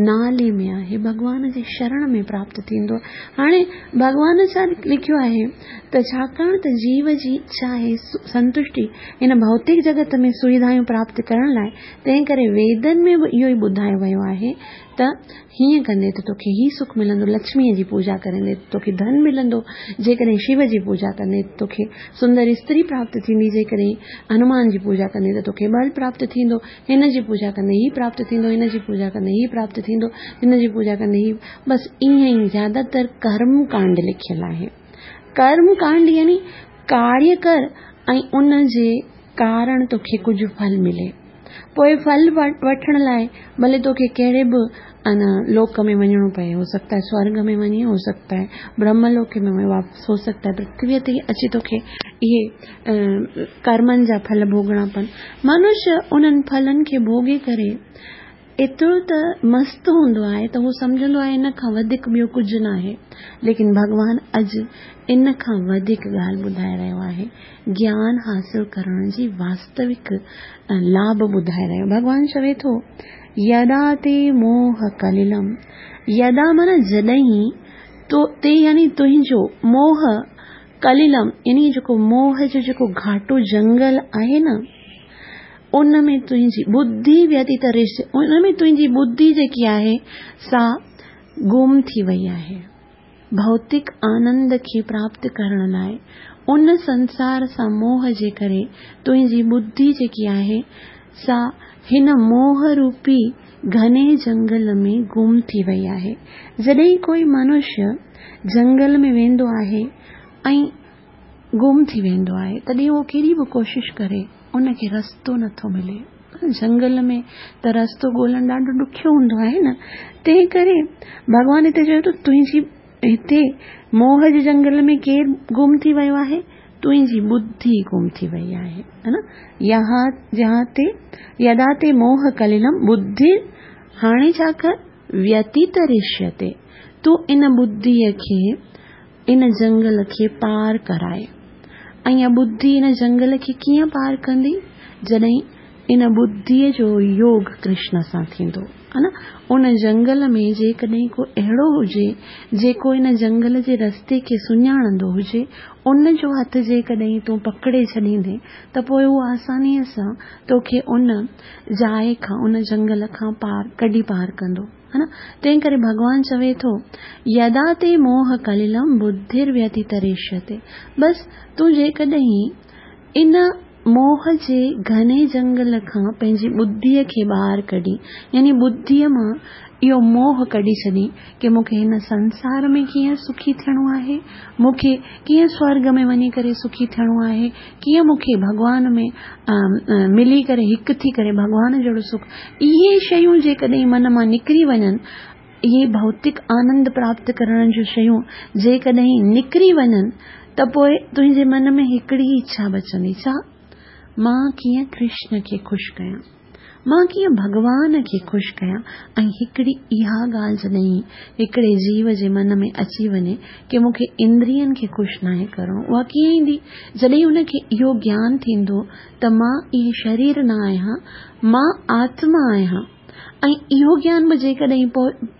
نالي ۾ آهي، ڀڳوان جي شرڻ ۾ پراپت ٿيندو. هاڻي ڀڳوان ڇا لکيو آهي ته ڇاڪاڻ ته جيو جي اڇا آهي سنتشٽي هن ڀوتڪ جڳت ۾ سوڌايون پراپت ڪرڻ لاءِ، تنهن ڪري ويدن ۾ به اهو ئي ٻڌايو ويو آهي ته هيئن ڪندي ته توکي هي سک ملندو، لڪشميءَ جي پوڄا ڪرندي ته توکي ڌن ملندو، جيڪڏهن شو جي پوڄا ڪندي ته توکي سندر استري پراپت ٿيندي، جيڪڏهن هنومان جي پوڄا ڪندي ته توکي ٻل پراپت ٿيندو، هن جي پوڄا ڪندي هي پراپت ٿيندو، هن جي پوڄا ڪندي هي پراپت ٿيندو، هن جي پوڄا ڪندي هي. بس ائين ئي زياده تر ڪرم ڪانڊ لکيل آهي. ڪرم ڪانڊ يعني ڪاريه ڪر ۽ ان جي ڪارڻ توکي ڪجهه ڦل ملي. पोइ फल वठण लाइ भले तोखे कहिड़े बि अन लोक में वञिणो पए, हो सकता है स्वर्ग में वञी, हो सकता है ब्रह्मलोक में वञी, वापसि हो सकता है पृथ्वीअ ते अची तोखे इहे कर्मनि जा फल भोगणा पवनि। मनुष्य उन्हनि फलनि खे भोगे करे एतिरो त मस्त हूंदो आहे त हू सम्झंदो आहे इन खां वधीक ॿियो कुझु न आहे। लेकिन भॻवान अॼु इन खां वधीक ॻाल्हि ॿुधाए रहियो आहे, ज्ञान हासिल करण जी वास्तविक लाभ ॿुधाए रहियो। भॻवान चवे थो यदा ते मोह कलिलम, यदा माना जॾहिं, तो ते यानी तुंहिंजो, मोह कलिलम यानी जेको मोह जो जेको घाटो जंगल आहे न, उन में तुंहिंजी बुद्धि व्यतितरिष्य, उन में तुंहिंजी बुद्धि जेकी आहे सा गुम थी वई आहे। भौतिक आनंद खे प्राप्त करण लाइ उन संसार सां मोह जे करे तुंहिंजी बुद्धि जेकी आहे सा हिन मोह रूपी घने जंगल में गुम थी वई आहे। जॾहिं कोई मनुष्य जंगल में वेंदो आहे ऐं गुम थी वेंदो आहे, तॾहिं उहो केॾी बि कोशिश करे उनखे रस्तो नथो मिले। जंगल में त रस्तो ॻोल्हणु ॾाढो ॾुखियो हूंदो आहे न, तंहिं करे भॻवान हिते चयो त तुंहिंजी हिते मोह जे जंगल में केरु गुम थी वियो आहे? तुंहिंजी बुद्धि गुम थी वई आहे, है न। यहाँ जहाँ ते यदा ते मोह कलिलम बुद्धि, हाणे छा कर व्यतितरिष्यते, तूं इन बुद्धिअ खे इन जंगल खे पार कराए। ऐं इहा बुद्धि इन जंगल खे कीअं पार कंदी? जॾहिं इन बुद्धिअ जो योग कृष्ण सां थींदो, है न। उन जंगल में जेकॾहिं को अहिड़ो हुजे जेको इन जंगल जे रस्ते खे सुञाणंदो हुजे, उन जो हथु जेकॾहिं तूं पकड़े छॾींदे त पोइ उहो आसानीअ सां तोखे उन जाइ खां, उन जंगल खां पार कढी पार कंदो, है न। तंहिं करे भॻवान चवे थो यदा ते मोह कलिलम बुद्धिर्व्यतितरिष्यते, बसि तूं जेकॾहिं इन मोह जे घने जंगल खां पंहिंजी बुद्धिअ खे ॿाहिरि कढी, यानी बुद्धिअ मां इहो मोह कढी छॾी की मूंखे हिन संसार में कीअं सुखी थियणो आहे, मूंखे कीअं स्वर्ग में वञी करे सुखी थियणो आहे, कीअं मूंखे भॻवान में मिली करे हिकु थी करे भॻवान जहिड़ो सुख, इहे शयूं जेकॾहिं मन मां निकिरी वञनि, इहे भौतिक आनंद प्राप्त करण जूं शयूं जेकॾहिं निकिरी वञनि त पोइ तुंहिंजे मन में हिकिड़ी इच्छा बचंदी, छा? मां कीअं कृष्ण खे ख़ुशि कयां, मां कीअं भॻवान खे ख़ुशि कयां। ऐं हिकिड़ी इहा ॻाल्हि जॾहिं हिकिड़े जीव जे मन में अची वञे की मूंखे इंद्रियनि खे ख़ुशि नाहे करिणो, उहा कीअं ईंदी? जॾहिं उनखे इहो ज्ञान थींदो त मां इहे शरीर न आहियां, मां आत्मा आहियां। ऐं इहो ज्ञान बि जेकॾहिं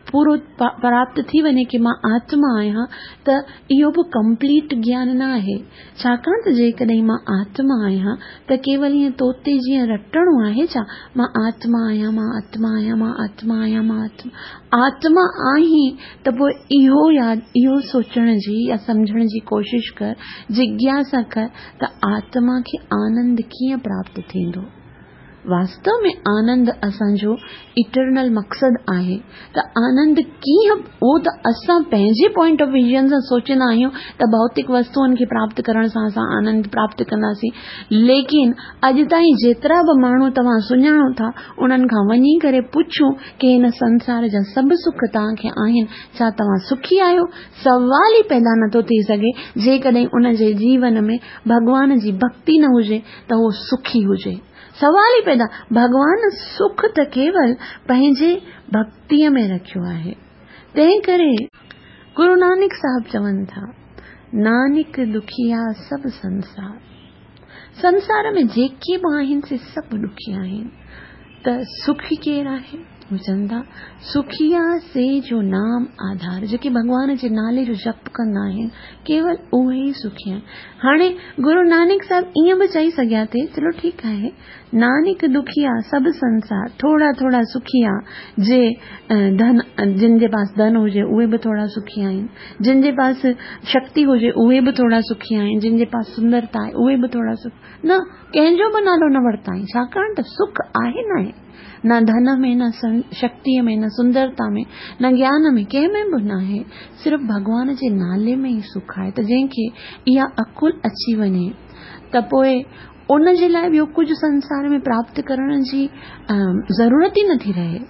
पूरो प्राप्त थी वञे की मां आत्मा आहियां, त इहो बि कंप्लीट ज्ञान न आहे। छाकाणि त जेकॾहिं मां आत्मा आहियां त केवल ईअं तोते जीअं रटणो आहे छा? मां आत्मा आहियां, मां आत्मा आहियां, मां आत्मा आहियां, मां आत्मा आत्मा आहीं, त पोइ इहो यादि इहो सोचण जी या सम्झण जी कोशिश कर, जिज्ञासा कर त आत्मा खे आनंद कीअं प्राप्त थींदो। वास्तव में आनंद असांजो इटरनल मक़सदु आहे, त आनंद कीअं, उहो त असां पंहिंजे पॉइंट ऑफ विजन सां सोचंदा आहियूं त भौतिक वस्तुअनि खे प्राप्त करण सां असां आनंद प्राप्त कंदासीं, लेकिन अॼु ताईं जेतिरा बि माण्हू तव्हां सुञाणो था उन्हनि खां वञी करे पुछूं की हिन संसार जा सभु सुख तव्हांखे आहिनि, छा तव्हां सुखी आहियो? सवाल ई पैदा नथो थी सघे जेकॾहिं उनजे जीवन में भॻवान जी भक्ति न हुजे त उहो सुखी हुजे। सवाल ई पैदा, भॻवान सुख त केवल पंहिंजे भक्तीअ में रखियो आहे। तंहिं करे गुरु नानक साहब चवनि था, नानक दुखिया सब संसार, संसार में जेके बि आहिनि से सभु ॾुखिया आहिनि, त सुखी केरु आहे? हू चवनि था सुखिया से जो नाम आधार, जेके भॻवान जे नाले जो जप कंदा आहिनि केवल उहे ई सुखी आहिनि। हाणे गुरु नानक साहब ईअं बि चई सघिया थे, चलो ठीकु आहे, नानक दुखिया सभु संसार, थोरा थोरा सुखिया, जे धन जिन जे पास धन हुजे उहे बि थोरा सुखी आहिनि, जिन जे पास शक्ति हुजे उहे बि थोरा सुखी आहिनि, जिन जे पास सुंदरता आहे उहे बि थोरा सुख, न कंहिंजो बि नालो न वरिताईं, छाकाणि त सुख आहे न आहे, न धन में, न शक्तिअ में, न सुंदरता में, न ज्ञान में, कंहिं में बि न आहे, सिर्फ़ भॻवान जे नाले में ई सुख आहे। त जंहिंखे इहा अकुल अची वञे त पोइ ان جي لاءِ ٻيو ڪجهه سنسار ۾ پراپت ڪرڻ جي ضرورت ئي نٿي رهي،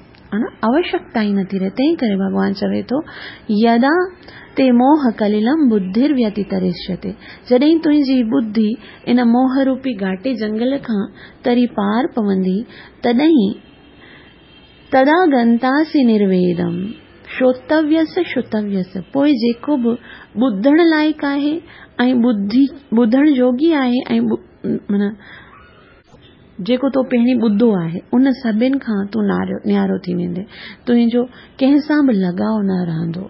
آوشيڪتا ئي نٿي رهي. تنهن ڪري ڀڳوان چوي ٿو، يدا تي موهه ڪليلم ٻڌر ويتترشيتي، جڏهن تنهنجي ٻڌي ان موهه روپي گهاٽي جنگل کان تري پار پوندي، تڏهن تدا گنتاسي نرويدم شروتويس شروتويس، پوءِ جيڪو به ٻڌڻ لائق آهي ۽ ٻڌي ٻڌڻ جوڳي آهي ۽ معنيٰ جيڪو تو پهرين ٻڌو آهي ان سڀني کان تون نيارو ٿي ويندي، تنهنجو ڪنهن سان به لڳاءُ نه رهندو.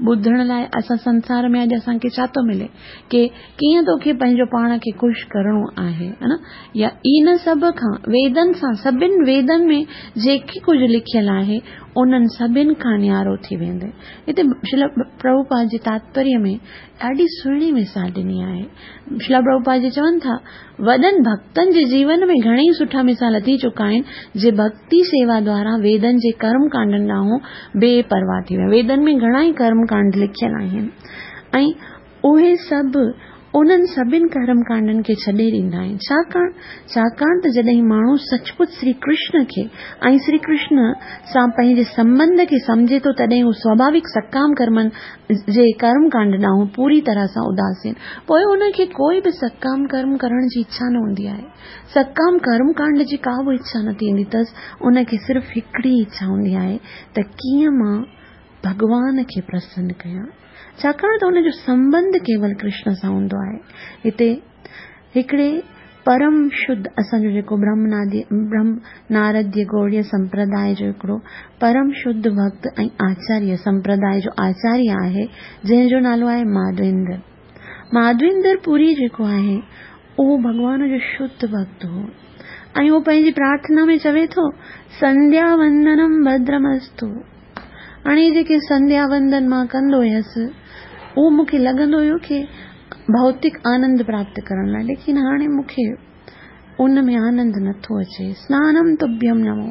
ٻڌڻ لاءِ اسان سنسار ۾ اڄ اسان کي ڇا ٿو ملي ڪه ڪيئن توکي پنهنجو پاڻ کي خوش ڪرڻو آهي، ها نه؟ يا ان سڀ کان ويدن سان، سڀني ويدن ۾ جيڪي ڪجهه لکيل آهي انهن سڀني کان نيارو ٿي ويندي. هتي شريل پرڀوپاد جي تاتپريه ۾ ڏاڍي سهڻي مثال ڏني آهي. شريل پرڀوپاد جي چون ٿا، وڏن ڀڪتن جي جيون ۾ گهڻيئي سٺا مثال ٿي چڪا آهن جي ڀڪتي سيوا دوارا ويدن جي ڪرم ڪانڊن ڏانهن بي پرواهه ٿي ويا. ويدن ۾ گهڻا ئي ڪرم ڪانڊ لکيل آهن ۽ اهي سڀ انهن سڀني ڪرم ڪانڊن کي ڇڏي ڏيندا آهن. ڇاڪاڻ ڇاڪاڻ ته جڏهن ماڻهو سچ پچ شري ڪرشن کي ۽ شري ڪرشن سان پنهنجي سنٻنڌ کي سمجهي ٿو، تڏهن هو سوڀاوڪ سڪام ڪرمن جي ڪرم ڪانڊ ڏانهن پوري طرح سان اداسين. پوءِ ان کي ڪوئي به سڪام ڪرم ڪرڻ جي اڇا نه هوندي آهي. سڪام ڪرم ڪانڊ جي ڪا به اڇا نه ٿيندي اٿس. ان کي صرف هڪڙي اڇا هوندي آهي ته ڪيئن مان ڀڳوان کي پرسن ڪيان، ڇاڪاڻ ته هن جو سنٻنڌ ڪيول ڪرشن سان هوندو آهي. هتي هڪڙي پرم شڌ اسان جو جيڪو برهم نادي برهم نارديه گوڙيه سمپرداءِ جو هڪڙو پرم شڌ ڀڪت ۽ آچاريه سمپرداءِ جو آچاريه آهي، جنهن جو نالو آهي ماڌويندر. ماڌويندر پوري جيڪو آهي اهو ڀڳوان جو شڌ ڀڪت هو ۽ اهو پنهنجي پرارٿنا ۾ چوي ٿو، سنڌيا وندنم ڀدرمستو. هاڻي جيڪي سنڌيا وندن مان ڪندو هيس اهو مون کي لڳندو هيو ڪه ڀوتڪ آنند پراپت ڪرڻ لاءِ، ليڪن هاڻي مون کي ان ۾ آنند نٿو اچي. سنانم تڀيم نمو،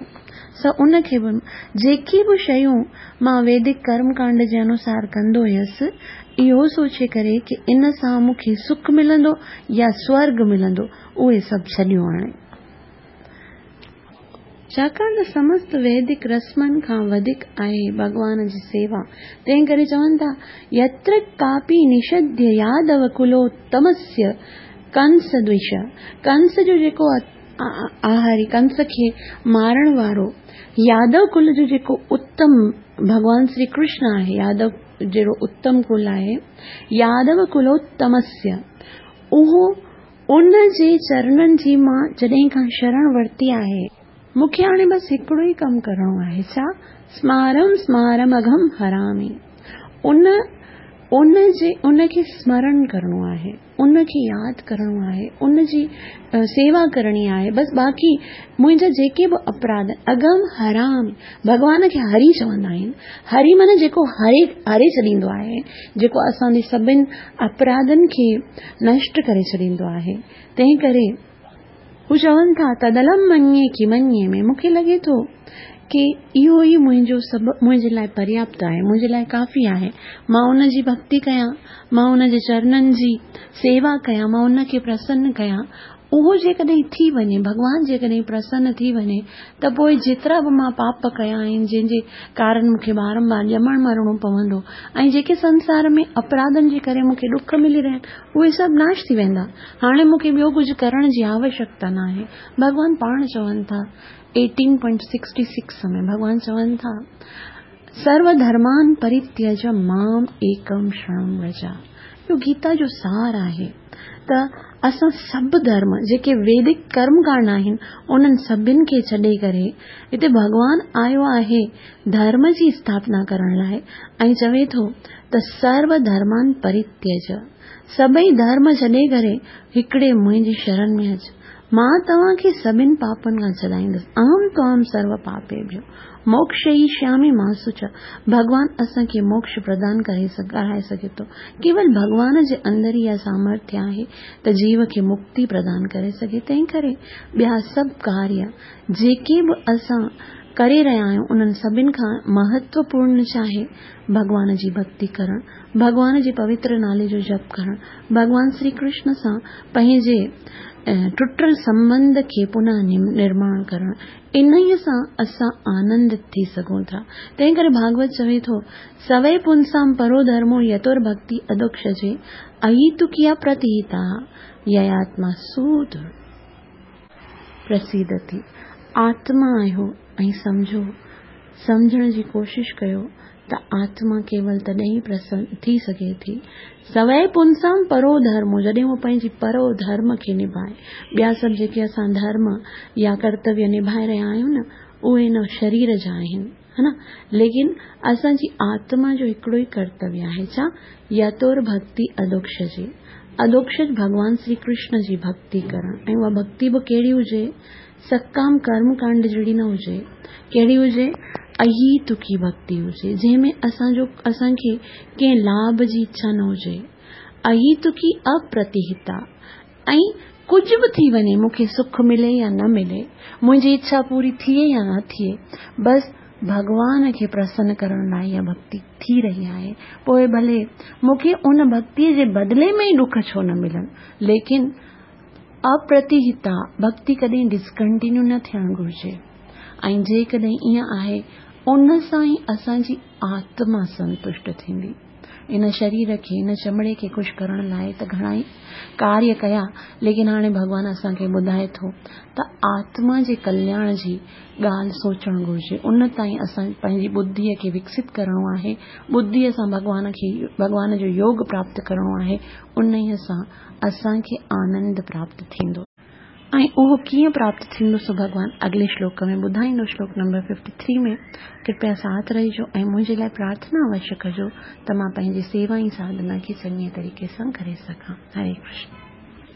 س ان کي به جيڪي به شيون مان ويدڪ ڪرم ڪانڊ جي انوسار ڪندو هيس، اهو سوچي ڪري ڪه ان سان مون کي سک ملندو يا سورڳ ملندو، اهي سڀ ڇڏيون هاڻي. ڇاڪاڻ ته سمست ويدڪ رسمن کان وڌيڪ آهي ڀڳوان جي سيوا. تنهن ڪري چون ٿا، يتر ڪاپي نشڌ يادو ڪلوتمسيه ڪنس دوش. ڪنس جو جيڪو آهاري، ڪنس کي مارڻ وارو يادو ڪل جو جيڪو اتم ڀڳوان شري ڪرشن آهي، يادو جهڙو اتم ڪل آهي، يادو ڪلوتمسيه، اهو ان جي چرڻن جي مان جڏهن کان شرڻ ورتي آهي، مون کي هاڻي بس هڪڙو ئي ڪم ڪرڻو آهي، ڇا؟ سمارم سمارم اگهم هرامي. ان ان جي ان کي سمرڻ ڪرڻو آهي، ان کي ياد ڪرڻو آهي، ان جي سيوا ڪرڻي آهي بس. باقي منهنجا جيڪي به اپراڌ، اگهم هرامي، ڀڳوان کي هري چوندا آهن. هري معنيٰ جيڪو هري هري ڇڏيندو آهي، جيڪو اسان جي سڀني اپراڌن کي نشٽ ڪري ڇڏيندو آهي. تنهن ڪري هو چون ٿا، تدلم مڃي ڪه مڃي ۾، مون کي لڳي ٿو ڪه اهو ئي منهنجو سڀ منهنجي لاءِ پرياپت آهي، منهنجي لاءِ ڪافي آهي. مان ان جي ڀڪتي ڪيان، مان ان جي چرڻن جي سيوا ڪيان، مان ان کي پرسن ڪيان. اهو جيڪڏهن ٿي وڃي، ڀڳوان جيڪڏهن پرسن ٿي وڃي، ته پوءِ جيترا به مان پاپ ڪيا آهن، جنهن جي ڪارڻ مون کي بارمبار ڄمڻ مرڻو پوندو ۽ جيڪي سنسار ۾ اپراڌن جي ڪري مون کي ڏک ملي رهيا آهن، اهي سڀ ناش ٿي ويندا. هاڻي مون کي ٻيو ڪجهه ڪرڻ جي آوشيڪتا نه آهي. ڀڳوان پاڻ چون ٿا ايٽين پوائنٽ سڪسٽي سڪس ۾ ڀڳوان چون ٿا، سرو ڌرمان پرتيج مام ايڪم شرڻم ورج. اهو گيتا جو سار آهي ته اسان سڀ ڌرم جيڪي ويدڪ ڪرم ڪانڊ آهن، انهن سڀني کي ڇڏي ڪري هتي ڀڳوان آيو آهي ڌرم جي اسٿاپنا ڪرڻ لاءِ ۽ چوي ٿو ته سرو ڌرمان پرتيج، سڀئي ڌرم ڇڏي ڪري هڪڙي منهنجي شرڻ ۾ اچ، مان توهان کي سڀني پاپن کان ڇڏائيندس. اهم توام سرو پاپيڀيو موڪشيشيامي مان شچ. ڀڳوان اسان کي موڪش پردان ڪري ڪرائي سگهي ٿو. ڪيول ڀڳوان جي اندر ئي اها سامرٿيه آهي ته جيو کي مڪتي پردان ڪري سگهي. تنهن ڪري ٻيا سڀ ڪاريه جيڪي به اسان ڪري رهيا آهيون، انهن سڀني کان مهتوپورڻ ڇا آهي؟ ڀڳوان جي ڀڪتي ڪرڻ، ڀڳوان جي پوتر نالي جو جپ ڪرڻ، ڀڳوان شري ڪرشن سان پنهنجي ٽٽل سنٻنڌ کي پنه نرماڻ ڪرڻ، انهيء سان اسان آنندت ٿي سگهون ٿا. تنهن ڪري ڀاڳوت چوي ٿو، سوئي پنسام پرو ڌرمو يتور ڀڳتي اڌوڪشجي اهيتڪي اپرتيهتا يياتما سودر پرسيدتي. آتما آهيو ۽ سمجهو، سمجهڻ جي ڪوشش ڪيو ته آتما ڪيول تڏهن ئي پرسن ٿي سگهي ٿي. سوئي پنسام پرو ڌرمو، جڏهن هو پنهنجي پرو ڌرم کي نڀائي. ٻيا سڀ جيڪي اسان ڌرم يا ڪرتويه نڀائي رهيا آهيون نه، اهي هن شرير جا آهن، ها نه؟ ليڪن اسان جي آتما جو هڪڙو ئي ڪرتويه آهي، ڇا؟ يتور ڀڳتي اڌوڪشجي. اڌوڪشج ڀڳوان شري ڪرشن جي ڀڳتي ڪرڻ، ۽ اها ڀڳتي به ڪهڙي هجي؟ سڪام ڪرم ڪانڊ جهڙي نه هجي، ڪهڙي هجي؟ اهيتڪي ڀڳتي هجي، جنهن ۾ اسان جو اسان کي ڪنهن لاڀ جي اڇا نه هجي. اهيتڪي اپرتيهتا، ۽ ڪجهه به ٿي وڃي، مون کي سک ملي يا نه ملي، منهنجي اڇا پوري ٿئي يا نه ٿئي، بس ڀڳوان کي پرسن ڪرڻ لاءِ اها ڀڳتي ٿي رهي آهي. پوءِ ڀلي مون کي ان ڀڳتيءَ جي بدلي ۾ ئي ڏک ڇو نه ملن، ليڪن اپرتيهتا ڀڳتي ڪڏهن ڊسڪنٽينيو نه ٿيڻ گهرجي. ۽ جيڪڏهن ائين آهي، ان سان ئي اسان جي آتما سنتشٽ ٿيندي. ان شرير کي، ان چمڙي کي خوش ڪرڻ لاءِ ته گهڻا ئي ڪاريه ڪيا، ليڪن هاڻي ڀڳوان اسان کي ٻڌائي ٿو ته آتما جي ڪلياڻ جي ڳالهه سوچڻ گهرجي. ان تائين اسان پنهنجي ٻڌيءَ کي وڪست ڪرڻو آهي، ٻڌيءَ سان ڀڳوان کي، ڀڳوان جو يوگ پراپت ڪرڻو آهي، انهيءَ سان اسان کي آنند پراپت ٿيندو. ۽ اهو ڪيئن پراپت ٿيندو سو ڀڳوان اڳلي شلوڪ ۾ ٻڌائيندو، شلوڪ نمبر ففٽي ٿري ۾. ڪرپيا ساٿ رهجو ۽ منهنجي لاءِ پرارٿنا اوشيه ڪجو ته مان پنهنجي سيوا ۽ ساڌنا کي چڱي طريقي سان ڪري سگهان. هري ڪرشن.